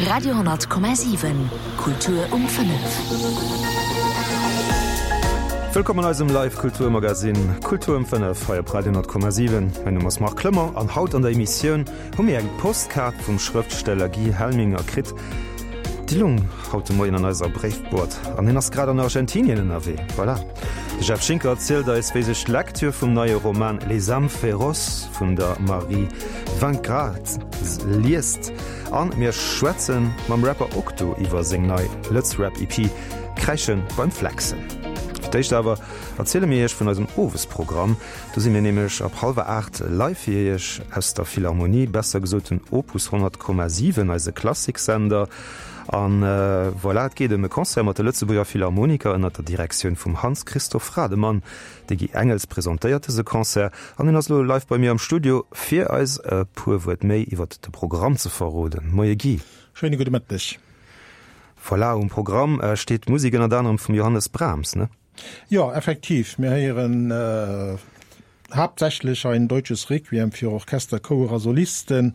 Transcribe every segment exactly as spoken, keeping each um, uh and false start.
Radio honnert Komma siwen, Kultur um fënnef. Wëllkomm an eisem Live Kulturmagazin Kultur um fënnef hei op Radio honnert Komma siwen. Mäin Numm ass Marc Clement an haut an der Emissioun hu mir eng Postkaart vum Schrëftsteller Guy Helminger kritt. Déi lung haut de Moien an eiser Bréifboîte an hien ass grad an Argentinien ënnerwee. Voilà. De Jeff Schinker erzielt eis, wéi sech d'Lektür vum neie Roman Les âmes féroces vun der Marie Vingras liest. An mir schwätze mam Rapper Okto iwwer seng nei Lëtz-Rap-EP Kräische beim Flexen. Fir d'éischt awer erziele mir iech vun eisem Owesprogramm. Do si mir nämlech ab hallwer aacht live fir iech aus der Philharmonie, besser gesot den Opus honnert Komma siwen, eise Klassiksender. An voilà, et geet ëm e Concert mat de Lëtzebuerger Philharmoniker ënnert der Direktioun vum Hans-Christoph Rademann. De Guy Engels presentéiert dëse Concert an hien ass elo live bei mir am Studio, fir eis e puer Wuert méi iwwert de Programm ze verroden. Moie Guy. Schéine gudde Mëtteg. Voilà, um Programm steet Musek ënnert anerem vum Johannes Brahms, ne? Jo, effektiv, mir héieren haaptsächlech ein deutsches Requiem für Orchester, Chouer a Solisten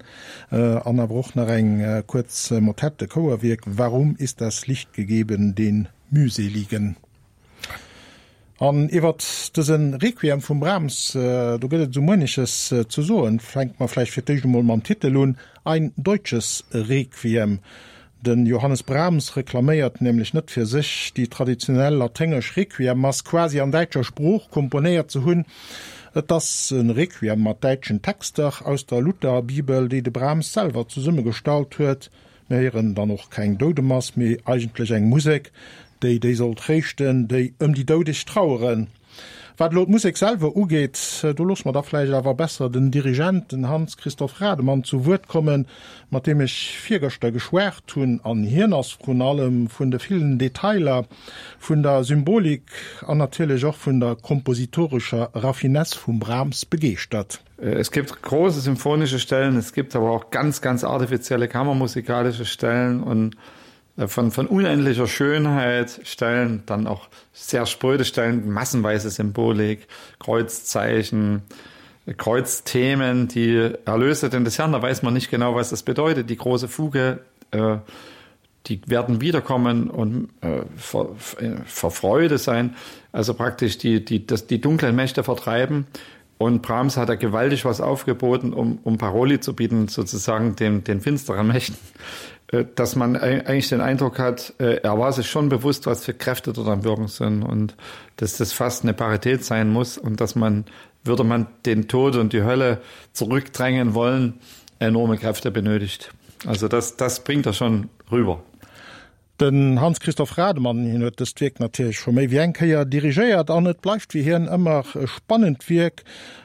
an awer och nach eng kuerz Motette, Chouerwierk Warum ist das Licht gegeben den Mühseligen? An iwwert dëse Requiem vum Brahms, do gëtt et esou mueneches ze soen. Fänke mer vläicht fir d'éischt emol mam Titel un, Ein deutsches Requiem. De Johannes Brahms reklaméiert nämlech net fir sech, déi traditionell laténgesch Requiemmass quasi an däitscher Sprooch komponéiert ze hunn. Et ass e Requiem mat däitschen Texter aus der Lutherbibel, déi de Brahms selwer zesummegestallt huet. Mir héieren dann och keng Doudemass, mee eigentlech eng Musek, déi déi soll tréischten, déi ëm déi Doudeg traueren. Wat elo d'Musek selwer ugeet, do loosse mer da vläicht awer besser den Dirigent, den Hans-Christoph Rademann, zu Wuert kommen, mat deem ech virgëschter geschwat hunn. An hien ass vrun allem vun de villen Detailer, vun der Symbolik an natierlech och vun der kompositorescher Raffinesse vum Brahms begeeschtert. Es gibt große symphonische Stellen, es gibt aber auch ganz, ganz artifizielle kammermusikalische Stellen und von, von unendlicher Schönheit Stellen, dann auch sehr spröde Stellen, massenweise Symbolik, Kreuzzeichen, Kreuzthemen, die Erlöse denn des Herrn, da weiß man nicht genau, was das bedeutet. Die große Fuge, äh, die werden wiederkommen und äh, vor, vor Freude sein, also praktisch die, die, das, die dunklen Mächte vertreiben. Und Brahms hat da gewaltig was aufgeboten, um, um Paroli zu bieten, sozusagen den, den finsteren Mächten. Äh, dass man eigentlich den Eindruck hat, äh, er war sich schon bewusst, was für Kräfte dort am Wirken sind und dass das fast eine Parität sein muss und dass man, würde man den Tod und die Hölle zurückdrängen wollen, enorme Kräfte benötigt. Also das, das bringt er schon rüber. Den Hans-Christoph Rademann, hien huet dëst Wierk natierlech scho méi wéi eng Kéier dirigéiert an et bleift fir hien ëmmer e spannend Wierk,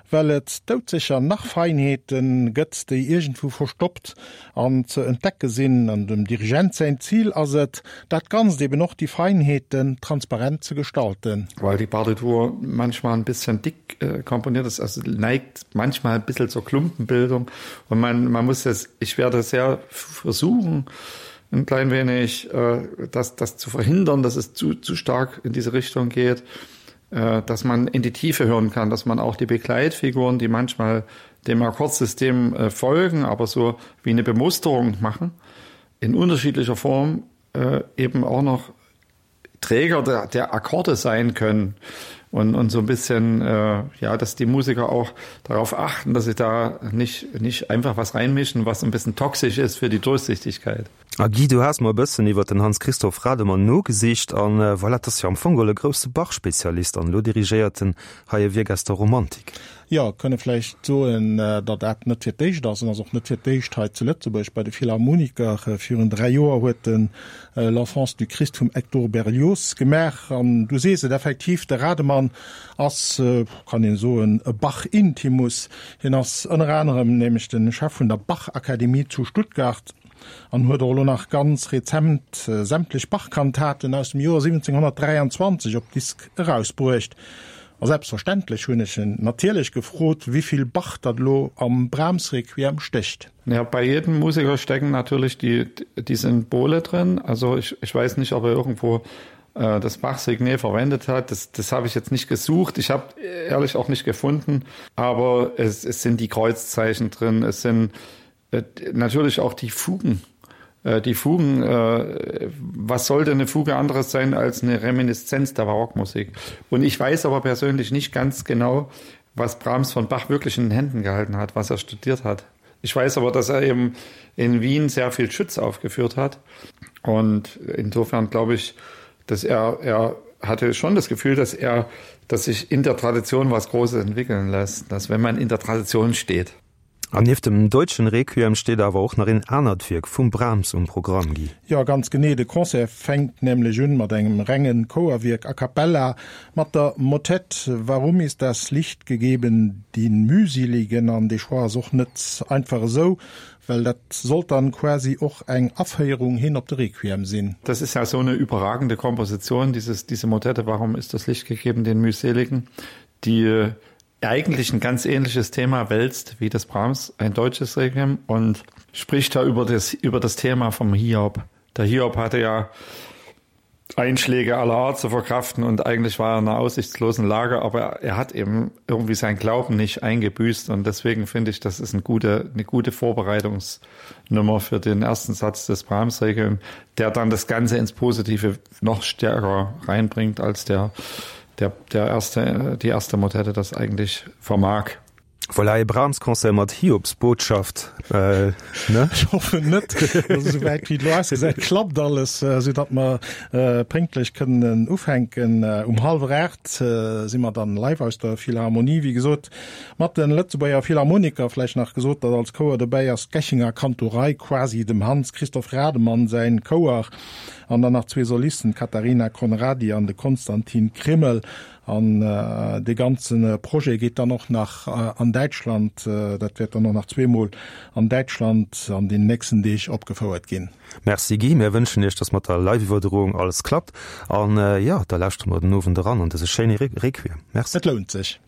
well et doudsécher nach Feinheete gëtt, déi iergendwou verstoppt an ze entdecke sinn. An dem Dirigent säin Zil ass et, dat Ganzt, eben och déi Feinheeten, transparent ze gestalten. Weil die Partitur manchmal ein bisschen dick äh, komponiert ist, also neigt manchmal ein bisschen zur Klumpenbildung und man, man muss es, ich werde sehr versuchen, ein klein wenig äh, das, das zu verhindern, dass es zu, zu stark in diese Richtung geht, äh, dass man in die Tiefe hören kann, dass man auch die Begleitfiguren, die manchmal dem Akkordsystem äh, folgen, aber so wie eine Bemusterung machen, in unterschiedlicher Form äh, eben auch noch Träger der, der Akkorde sein können und, und so ein bisschen äh, ja, dass die Musiker auch darauf achten, dass sie da nicht, nicht einfach was reinmischen, was ein bisschen toxisch ist für die Durchsichtigkeit. A Guy, du has mol e bëssen iwwer den Hans-Christoph Rademann nogesicht an äh, voilà, dat ass jo am Fong geholl e grousse Bach-Spezialist an elo dirigéiert en hei e Wierk aus der Romantik. Jo, kënne vläicht soen, äh, datt dat net fir d'éischt ass, an ass och net fir d'éischt hei zu Lëtzebuerg bei de Philharmoniker. Äh, virun dräi Joer huet en L'Enfance du Christ vum Hector Berlioz gemaach an du sees et effektiv, de Rademann ass, kann een soen, e Bach-Intimus. Hien ass ënner anerem nämlech de Chef vun der Bach-Akademie zu Stuttgart an huet och elo nach ganz rezent sämtlech Bach-Kantaten aus dem Joer siwwenzénghonnertdräianzwanzeg op Disk erausbruecht. A selbstverständlech hunn ech en natierlech gefrot, wéi vill Bach datt elo am Brahms-Requiem stécht. Ja, bei jedem Musiker stecken natürlich die, die Symbole drin. Also ich, ich weiß nicht, ob er irgendwo äh, das Bach-Signet verwendet hat. Das, das habe ich jetzt nicht gesucht. Ich habe ehrlich auch nicht gefunden. Aber es, es sind die Kreuzzeichen drin. Es sind äh, natürlich auch die Fugen, Äh, die Fugen, äh, was sollte eine Fuge anderes sein als eine Reminiszenz der Barockmusik? Und ich weiß aber persönlich nicht ganz genau, was Brahms von Bach wirklich in den Händen gehalten hat, was er studiert hat. Ich weiß aber, dass er eben in Wien sehr viel Schütz aufgeführt hat. Und insofern glaube ich, dass er, er hatte schon das Gefühl, dass er, dass sich in der Tradition was Großes entwickeln lässt, dass wenn man in der Tradition steht. An nieft dem deutschen Requiem steet awer och nach een anert Wierk vum Brahms um Programm, Guy. Jo, ganz genee. De Concert fänkt nämlech un mat engem rengen Chouerwierk a cappella mat der Motett Warum ist das Licht gegeben, den Mühseligen an de Choix ass och net einfach esou, well dat sollt dann quasi och eng Aféierung hin op de Requiem sinn. Das ist ja so eine überragende Komposition, dieses, diese Motette Warum ist das Licht gegeben, den Mühseligen, die eigentlich ein ganz ähnliches Thema wälzt wie das Brahms, ein deutsches Requiem und spricht da über das, über das Thema vom Hiob. Der Hiob hatte ja Einschläge aller Art zu verkraften und eigentlich war er in einer aussichtslosen Lage, aber er hat eben irgendwie sein Glauben nicht eingebüßt und deswegen finde ich, das ist eine gute, eine gute Vorbereitungsnummer für den ersten Satz des Brahms-Requiem, der dann das Ganze ins Positive noch stärker reinbringt als der, der, der erste, die erste Motette das eigentlich vermag. Voilà, e Brahms-Concert mat Hiobsbotschaft, äh, ne? Ech hoffen net, also souwäit wéi et elo ausgesäit, klappt alles, sou datt mer pénktlech kënnen ufänken. Um hallwer aacht si mer dann live aus der Philharmonie, wéi gesot, mat de Lëtzebuerger Philharmoniker. Vläicht nach gesot, datt als Chouer dobäi ass d'Gächinger Kantorei, quasi dem Hans Christoph Rademann säin Chouer, an dann nach zwee Solisten, d'Katharina Conradi an de Konstantin Krimmel. An dee ganze Projet geet dann och nach an Däitschland, dat wäert dann och nach zweemol an Däitschland an den nächsten Deeg opgefouert ginn. Merci Guy, mir wënschen Iech, dass mat der Live-Iwwerdroung alles klappt an jo, da lauschtere mer den Owend eran an dëse schéine Requiem. Merci. Et lount sech.